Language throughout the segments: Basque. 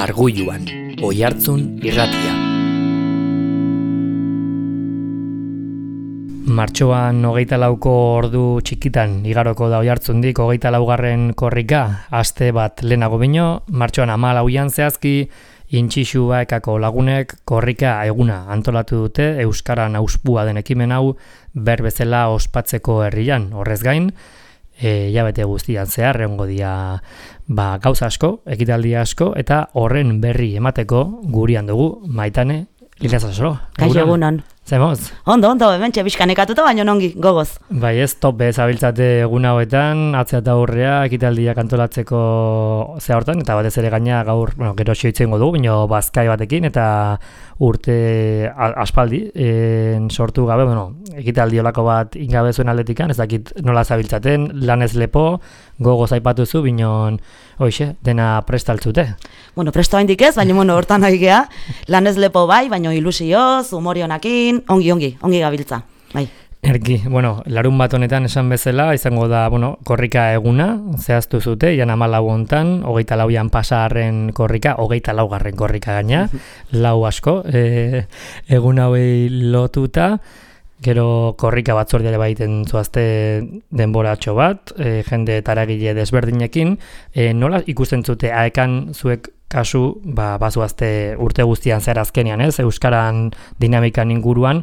Arguluan, Oihartzun irratia. Martxoan 24ko ordu txikitan igaroko da Oihartzundik 24. korrika, aste bat lehenago bino, martxoan 14an zehazki, Intxixua ekako lagunek korrika eguna antolatu dute Euskaran auspua den ekimen hau berbezela ospatzeko herrian. Horrez gain, hilabete guztian zehar egongo dira gauza asko, ekitaldi asko, eta horren berri emateko gurean dugu Maitane Lilazasoro. Kaixo egunon. Zemoz? Ondo, hementxe bizkanekatuta baino nongi, gogoz. Bai ez, tope zabiltzate egun hauetan, atzea eta aurrea, ekitaldiak antolatzeko zea hortan, eta batez ere gaina gaur, gero xioitzen dugu, bino bazkai batekin, eta urte aspaldi sortu gabe, ekitaldi olako bat ingabe zuen aldetikan, ez dakit nola zabiltzaten, lanez lepo, gogoz aipatuzu, bino hoxe, dena prestaltzute. Presto haindik ez, baina hortan haigea, lanez lepo bai, baina ilusioz, humorionakin, ongi gabiltza, bai. Erki, larun bat honetan esan bezala, izango da, korrika eguna, zehaztu zute, jan 14 hontan, 24an pasaharren korrika, 24garren korrika gaina, lau asko, egun hauei lotuta, gero korrika batzordeare baiten zuazte denboratxo bat, jende eta eragile desberdinekin, nola ikusten zute, aekan zuek kasu, bazuazte urte guztian zer azkenean, ez, Euskaran dinamikan inguruan,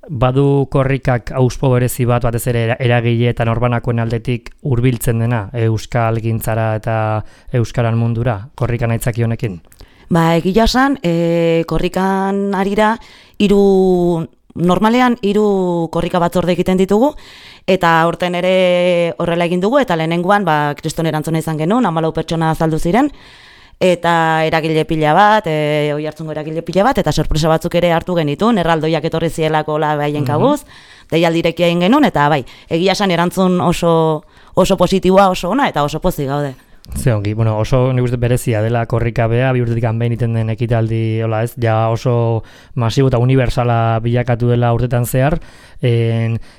badu korrikak auspo berezi bat, batez ere eragile eta norbanakoen aldetik hurbiltzen dena Euskal gintzara eta Euskaran mundura, korrikan aitzaki honekin? Egia esan, korrikan arira, normalean 3 korrika batzorde egiten ditugu, eta aurten ere horrela egin dugu, eta lehenengoan kriston erantzuna izan genuen, 14 pertsona azaldu ziren, eta eragile pila bat, Oihartzungo eragile pila bat, eta sorpresa batzuk ere hartu genitun, erraldoiak etorri zielako baien kabuz, deialdirekia egin genuen, eta egia esan erantzun oso positiboa, oso ona, eta oso pozik gaude. Ze ongi, oso nik uste berezia dela korrika bea, 2 urtetik behin iten den ekitaldi, oso masibo eta universala bilakatu dela urtetan zehar,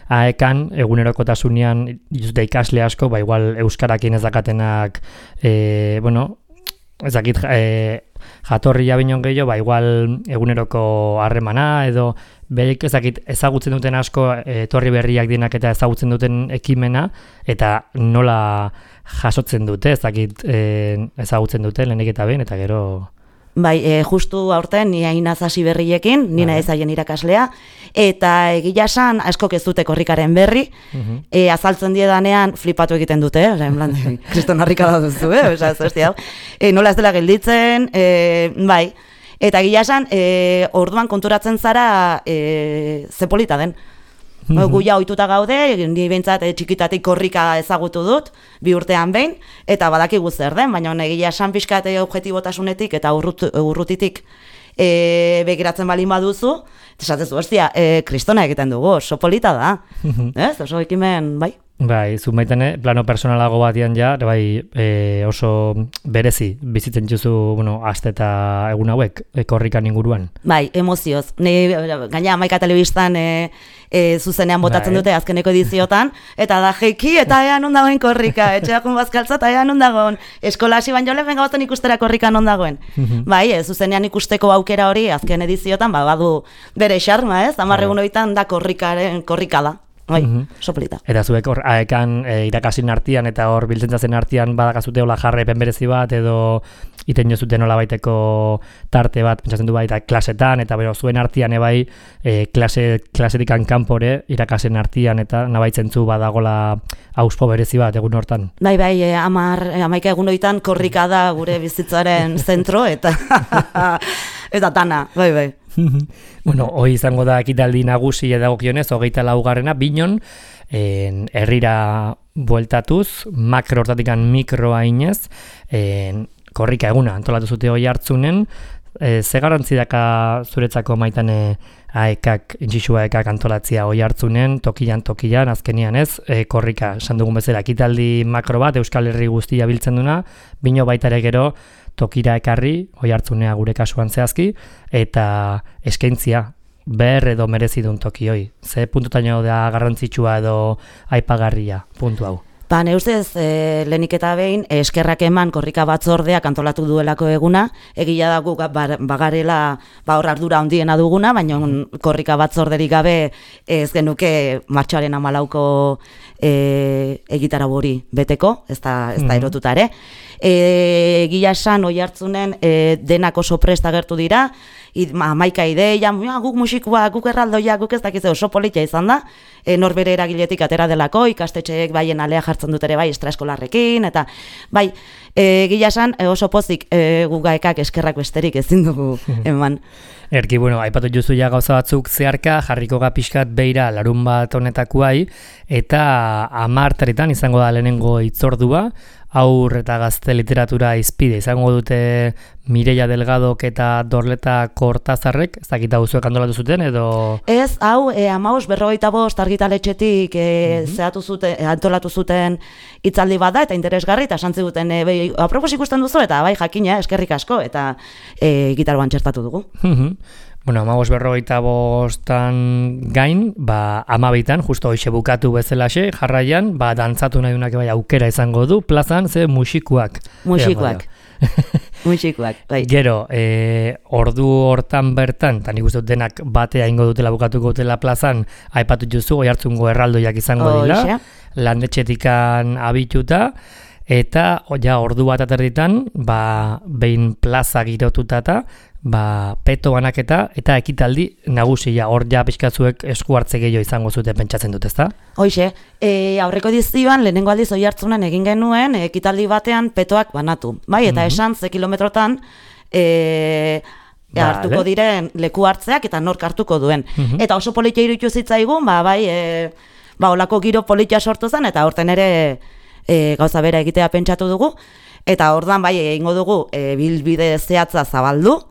aekan, egunerokotasunean ikasle asko, igual euskarakin ez dakatenak, ez dakit jatorria binon gehiago, igual eguneroko harremana, edo berik ez dakit ezagutzen duten asko etorri berriak dienak eta ezagutzen duten ekimena, eta nola jasotzen dute, ez dakit ezagutzen dute lehenik eta behin, eta gero... Justu aurten ni hainaz hasi berriekin, nina ezaien irakaslea, eta egia esan askok ez dute korrikaren berri, azaltzen diedanean flipatu egiten dute, kriston harrika da duzu, nola ez dela gelditzen, eta egia esan orduan konturatzen zara ze polita den. Gu ja ohituta gaude, ni behintzat txikitatik korrika ezagutu dut, 2 urtean behin, eta badakigu zer den, baina egia esan pixkat objektibotasunetik eta urrutitik begiratzen balin baduzu, esatezu, kristona egiten dugu, oso polita da, oso ekimen, bai. Zu Maitane, plano personalago batian oso berezi bizitzen dituzu, aste eta egun hauek, korrikan inguruan. Emozioz. Gaina Hamaika telebistan zuzenean botatzen dute azkeneko ediziotan, eta da jeiki, eta ea non dagoen korrika, etxeakun bazkaltza, eta ea non dagoen, eskola hasi baino lehen gabazten ikustera korrika non dagoen. Zuzenean ikusteko aukera hori azken ediziotan, badu bere xarma, 10 egun horietan da korrika da. Soplita. Eta zuek hor aekan irakasin artean eta hor biltzen zen artean badakazute hola jarraipen berezi bat edo iten jozuten hola baiteko tarte bat, pentsatzen du baita klasetan eta zuen artean klasetikan kanpore irakasen artean eta nabaitzen zu badagola auspo berezi bat egun hortan. 11 egun horietan korrika da gure bizitzaren zentro eta dana, bai. Hoi izango da ekitaldi nagusi edagokionez, 24garrena, binon, herrira bueltatuz, makro hortatikan mikroa inez, korrika eguna antolatu zute Oihartzunen, ze garrantzi daka zuretzako Maitane aekak, Intxixua aekak antolatzia Oihartzunen, tokian, azkenian ez, korrika, esan dugun bezala, ekitaldi makro bat, Euskal Herri guztia biltzen duna, bino baitare gero, tokira ekarri, Oihartzunea gure kasuan zehazki, eta eskaintzia, behar edo merezi duen toki hoi. Ze puntutaino da garrantzitsua edo aipagarria puntu hau? Ba, ne ustez, lehenik eta behin, eskerrak eman korrika batzordeak antolatu duelako eguna, egia da guk bagarela hor ardura handiena duguna, baina korrika batzorderik gabe ez genuke martxoaren 14ko egitarau hori beteko, ez da erotuta ere. Egia esan, Oiartzunen denak oso prest agertu dira, maika ideia, guk musikua, guk erraldoia, guk ez dakiz oso politia izan da, norbere eragiletik atera delako, ikastetxeek baien alea jartzen dut ere bai extraeskolarrekin, eta bai, egia esan oso pozik gugaekak eskerrak besterik ezin dugu eman. Erki, bueno, aipatu juzu ja gauza batzuk zeharka, jarriko pixkat beira larunbat honetakoai, eta 10 izango da lehenengo hitzordua, haur eta gazte literatura izpide. Izango dute Mireia Delgadok eta Dorleta Kortazarrek, ez dakit hau zuek antolatu zuten, edo... Ez, hau, 15 argitaletxetik antolatu zuten hitzaldi bat da, eta interesgarri, eta santzi duten, apropos ikusten duzu, eta bai jakina, eskerrik asko, eta gitaroan txertatu dugu. Bueno, 15 gain, 12 justo hoxe bukatu bezalaxe, jarraian, dantzatu nahi dunak bai aukera izango du, plazan, ze musikuak. Musikuak, bai. Gero, ordu hortan bertan, eta nik uste denak batea ingo dutela bukatuko dutela plazan, aipatu juzu, Oiartzungo erraldoiak izango dira, landetxetikan abituta, eta ordu bat aterditan, behin plaza girotuta eta, peto banaketa eta ekitaldi nagusia, hor ja pixkatzuek esku hartze gehiago izango zute pentsatzen dut, ezta? Hoixe, aurreko edizioan lehenengo aldiz Oiartzunen egin genuen ekitaldi batean petoak banatu, bai, eta esan ze kilometrotan hartuko diren leku hartzeak eta nork hartuko duen. Eta oso politia iruditu zitzaigun, olako giro politia sortu zen, eta horten ere gauza bera egitea pentsatu dugu, eta ordan bai egingo dugu bilbide zehatza zabaldu,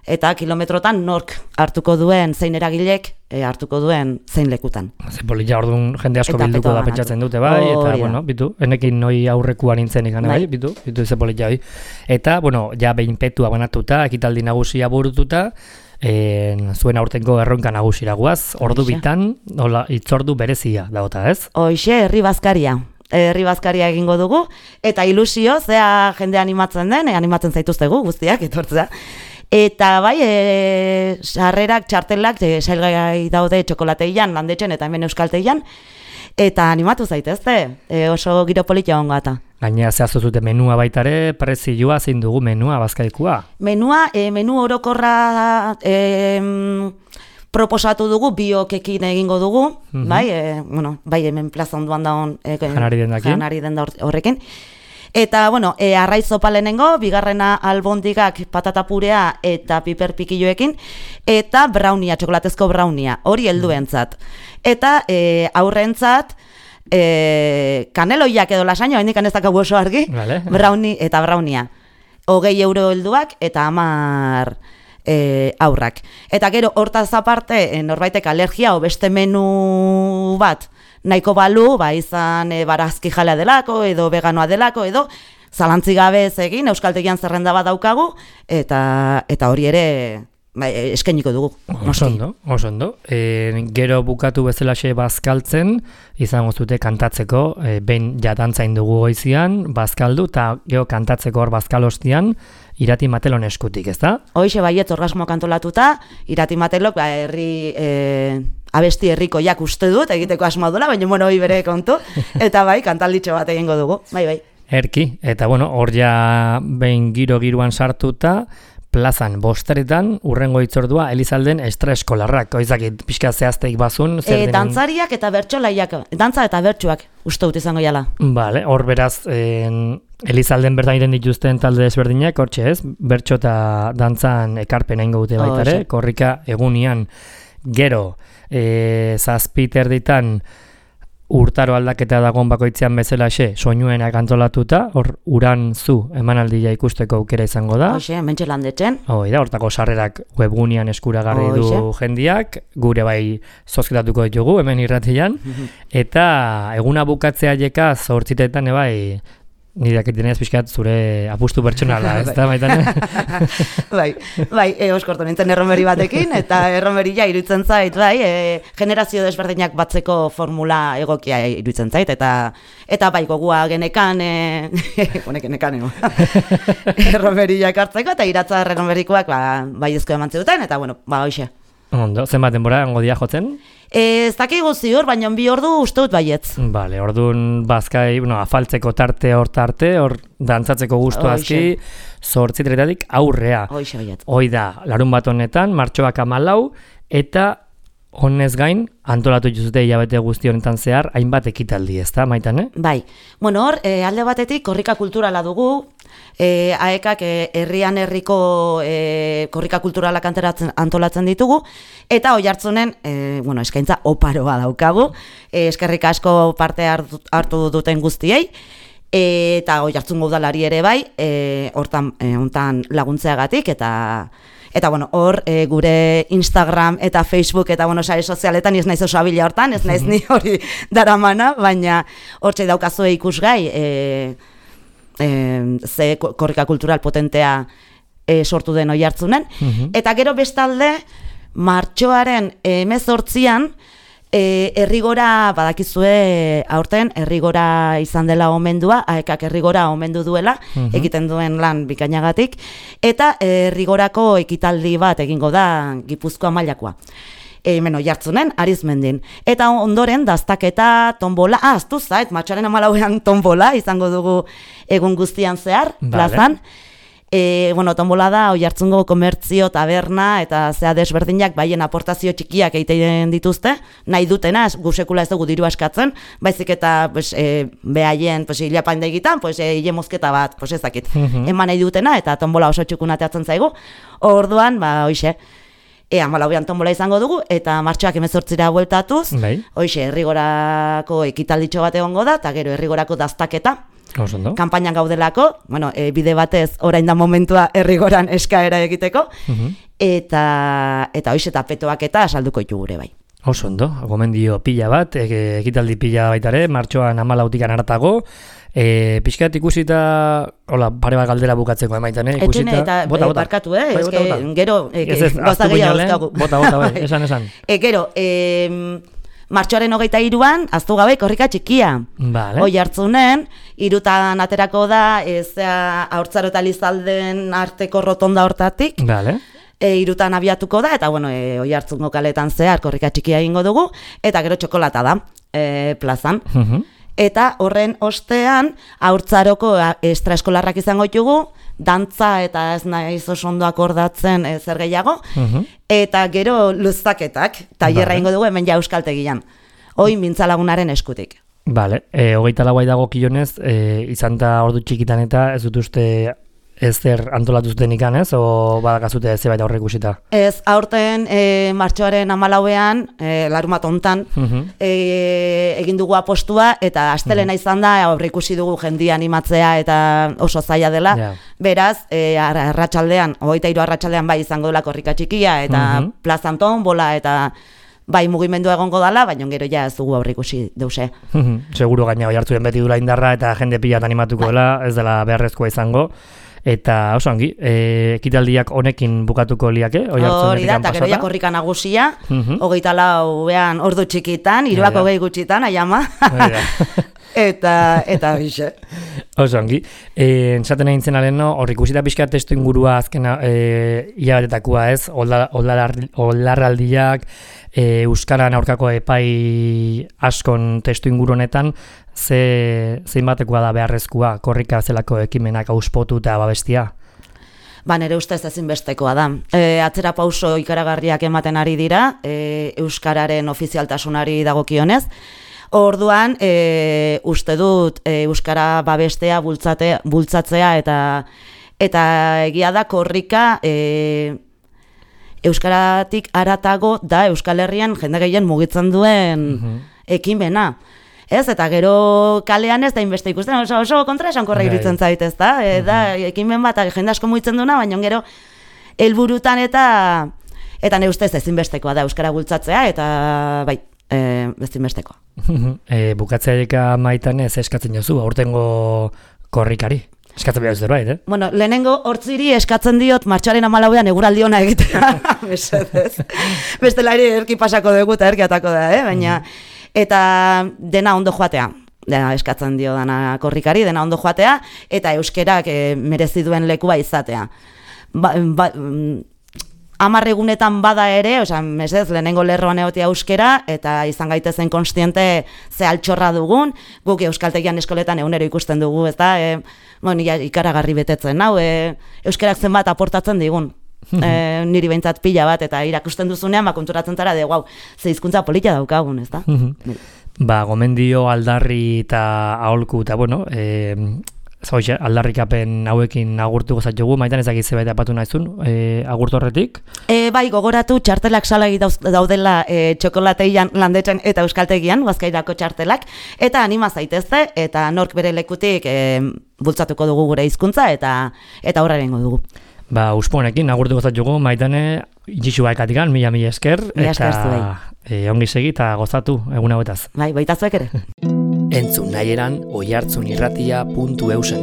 eta kilometrotan nork hartuko duen, zein eragilek hartuko duen zein lekutan. Ze politia orduan jende asko bilduko da pentsatzen dute, bai, eta, bueno, bitu, enekin noi aurrekuan nintzen ikan, bai, bitu ze politia, bai. Eta, bueno, ja behin petua banatuta, ekitaldi nagusia burututa, zuen aurtengo erronka nagusira guaz, ordu bitan, hitzordu berezia daota, ez? Hoixe, herri bazkaria egingo dugu, eta ilusio, zea jende animatzen den, animatzen zaituztegu guztiak, etortzea. Eta bai, sarrerak, txartelak, sailgai daude txokolateian, landetxen eta hemen euskalteian, eta animatu zaitezte, oso giro politia hongo eta. Gainera zehaztu zute menua baitare, prezioa zein dugu menua, bazkaikua? Menu orokorra proposatu dugu, biokekin egingo dugu, bai hemen plaza onduan daun janari denda horrekin. Eta, bueno, arraiz zopa lehenengo, bigarrena albondigak patata purea eta piper pikilloekin, eta brownia, txokolatezko brownia, hori helduentzat. Eta aurrentzat, kaneloiak edo lasaino, hendik aneztakagu oso argi, brownie eta brownia. 20 euro helduak eta 10 aurrak. Eta gero, hortaz aparte, norbaitek alergia o beste menu bat, nahiko balu, izan barazki jalea delako, edo veganoa delako, edo zalantzi gabe ez egin, euskaltegian zerrenda bat daukagu, eta hori ere eskainiko dugu. Oso ondo. Gero bukatu bezalaxe bazkaltzen, izango zute kantatzeko, behin jatantzain dugu goizian, bazkaldu, eta gero kantatzeko hor bazkalostian, Irati Matelon eskutik, ez da? Hoixe baiet orgasmo kantolatuta, Irati Matelok abesti herrikoiak uste dut, egiteko asmoa duela, baina hori bere kontu, eta bai, kantalditxo bat egingo dugu, bai. Erki, eta hor ja behin giroan sartuta, plazan bosteretan, urrengo hitzordua Elizalden extraeskolarrak, oizakit pixka zehazteik bazun. Dantzariak eta bertsolaiak, dantza eta bertsuak uste dut izango jala. Bale, hor beraz, Elizalden bertan iren dituzten talde desberdinak, hortxe ez, bertso eta dantzan ekarpena ingo dute baitare, korrika egunian. Gero, zazpiter ditan urtaro aldaketa dagoen bakoitzean bezalaxe, soinuenak antolatuta, hor uran zu emanaldia ikusteko aukera izango da. Hoxe, mentxe landetxen. Hortako sarrerak webgunean eskuragarri du jendiak, gure bai zozketatuko ditugu, hemen irratian, eta eguna bukatzea jeka 8etan Ni dakitenez pixkat zure apustu pertsonala, ez da, Maitane? Bai, oskortu nintzen erromeri batekin, eta erromeria iruditzen zait, generazio desberdinak batzeko formula egokia iruditzen zait, eta bai, gogua genekan, genekan, erromeria hartzeko, eta iratzar erromerikoak, bai ezko eman zuten, eta bueno, hoxe. Ondo, zenbat denbora, hango dia jotzen? Ez dakigu ziur, baina 2 ordu uste dut baietz. Bale, orduan bazkai, afaltzeko tarte, hor dantzatzeko gustu azki, 8:00 aurrea. Hoxe baietz. Hoi da, larun bat honetan, martxoak 14, eta honez gain, antolatu juzute hilabete guzti honetan zehar, hainbat ekitaldi, ez da, Maitane? Bai, bueno hor, alde batetik korrika kulturala dugu, AEKak herrian herriko korrika kulturalak antolatzen ditugu, eta Oiartzunen, eskaintza oparoa daukagu, eskerrik asko parte hartu duten guztiei, eta Oiartzungo udalari ere bai, hontan laguntzeagatik, eta hor gure Instagram eta Facebook eta sare sozialetan ez naiz oso abila hortan, ez naiz ni hori daramana, baina hortxe daukazue ikusgai ze korrika kultural potentea sortu den Oiartzunen. Eta gero bestalde, martxoaren 18an, Herrigora, badakizue aurten, Herrigora izan dela omendua, AEKak Herrigora omendu duela, egiten duen lan bikainagatik, eta Herrigorako ekitaldi bat egingo da Gipuzkoa mailakoa. Hemen Oiartzunen, Arizmendin. Eta ondoren, daztaketa, tombola, aztu zait, martxoaren 14an tombola izango dugu egun guztian zehar, plazan. Tombola da Oiartzungo komertzio, taberna eta zea desberdinak baien aportazio txikiak egiten dituzte, nahi dutena, gu sekula ez dugu diru askatzen, baizik eta behaien hilapain egitan, hile mozketa bat, ezakit, eman nahi dutena, eta tombola oso txukun ateatzen zaigu. Orduan, hoxe, 14an tombola izango dugu, eta martxoak 18ra bueltatuz, hoxe, Herrigorako ekitalditxo bat egongo da, eta gero Herrigorako daztaketa, kanpainan gaudelako, bide batez orain da momentua Herrigoran eskaera egiteko, eta hoxe, eta petoak eta salduko ditugu gure bai. Oso ondo, gomendio pila bat, ekitaldi pila baitare, martxoan 14tikan haratago, pixkat ikusita, pare bat galdera bukatzeko Maitane, ikusita... Eta barkatu, gero, goza gehiago dauzkagu. Bota, esan. Gero, martxoaren 23an, aztu gabe korrika txikia. Oiartzunen, 3 aterako da, Haurtzaro eta Lizalden arteko rotonda hortatik. 3 abiatuko da, eta Oiartzungo kaletan zehar korrika txikia egingo dugu, eta gero txokolata da, plazan. Eta horren ostean, Haurtzaroko extraeskolarrak izango ditugu, dantza eta ez naiz oso ondo akordatzen zer gehiago, eta gero luzaketak, tailerra egingo dugu hemen ja Euskaltegian, hoi mintzalagunaren eskutik. 24 dago kilonez, izan da ordu txikitan eta ez dut uste ezer antolatu zuten ikan, ez? O badakazute zebait aurre ikusita? Ez, aurten martxoaren 14ean, larumat hontan, egin dugu apostua, eta astelena izan da, aurre ikusi dugu jendia animatzea eta oso zaila dela. Beraz, arratsaldean, 23 arratsaldean bai izango dela korrika txikia, eta plazan tombola, eta bai mugimendua egongo dala, baina gero ja ez dugu aurre ikusi deuse. Seguro gaina Oiartzuen beti dula indarra, eta jende pilat animatuko dela, ez dela beharrezkoa izango. Eta oso ongi, ekitaldiak honekin bukatuko liake, Hori da, eta gero ja korrika nagusia, 24ean ordu txikitan, 3:20 gutxitan, aiama. Eta bixe. Oso ongi. Entzat egin aleno, hor ikusita pixka testu ingurua azken hilabetetakua ez, oldarraldiak, euskaran aurkako epai askon testu inguru honetan, zein batekoa da beharrezkoa korrika zelako ekimenak auspotu eta babestia? Nire ustez ezinbestekoa da. Atzera pauso ikaragarriak ematen ari dira, euskararen ofizialtasunari dagokionez. Orduan, uste dut euskara babestea, bultzatzea eta egia da korrika euskaratik haratago da Euskal Herrian jende gehien mugitzen duen ekimena. Ez, eta gero kalean ez da inbeste ikusten, oso kontra esankorra iruditzen zait, ez da? Da, ekimen bat, jende asko mugitzen duena, baina gero helburutan eta nire ustez ezinbestekoa da euskara bultzatzea, eta bai, ezinbestekoa. Bukatzeaika Maitan ez eskatzen jozu, aurtengo korrikari? Eskatzen behar zerbait, Bueno, lehenengo hortziri eskatzen diot martxoaren 14ean eguraldi ona egitea. Bestela ere erki pasako dugu eta erki atako da, baina eta dena ondo joatea. Dena eskatzen dio dana korrikari, dena ondo joatea, eta euskerak merezi duen lekua izatea. 10 egunetan bada ere, mesez, lehenengo lerroan egotea euskera, eta izan gaitezen konstiente ze altxorra dugun, guk euskaltegian eskoletan egunero ikusten dugu, ez da, ikaragarri betetzen, euskerak zenbat aportatzen digun. Niri behintzat pila bat, eta irakusten duzunean, konturatzen zara, wow, ze hizkuntza polita daukagun, ez da? Gomendio, aldarri eta aholku, eta bueno, aldarrikapen hauekin agurtu gozatxogu, Maitan ezakit zebait apatu nahizun, agurtu horretik? Bai, gogoratu txartelak salagi daudela txokolateian landetzen eta euskaltegian, Huazkairako txartelak, eta anima zaitezte, eta nork bere lekutik bultzatuko dugu gure hizkuntza eta horrerengo dugu. Usponekin agurtu gozatxogu, Maitane, itxixua ekatikan, mila esker, eta ongi segi eta gozatu egun hauetaz. Baita zuek ere. Entzun nahieran oihartzunirratia.eusen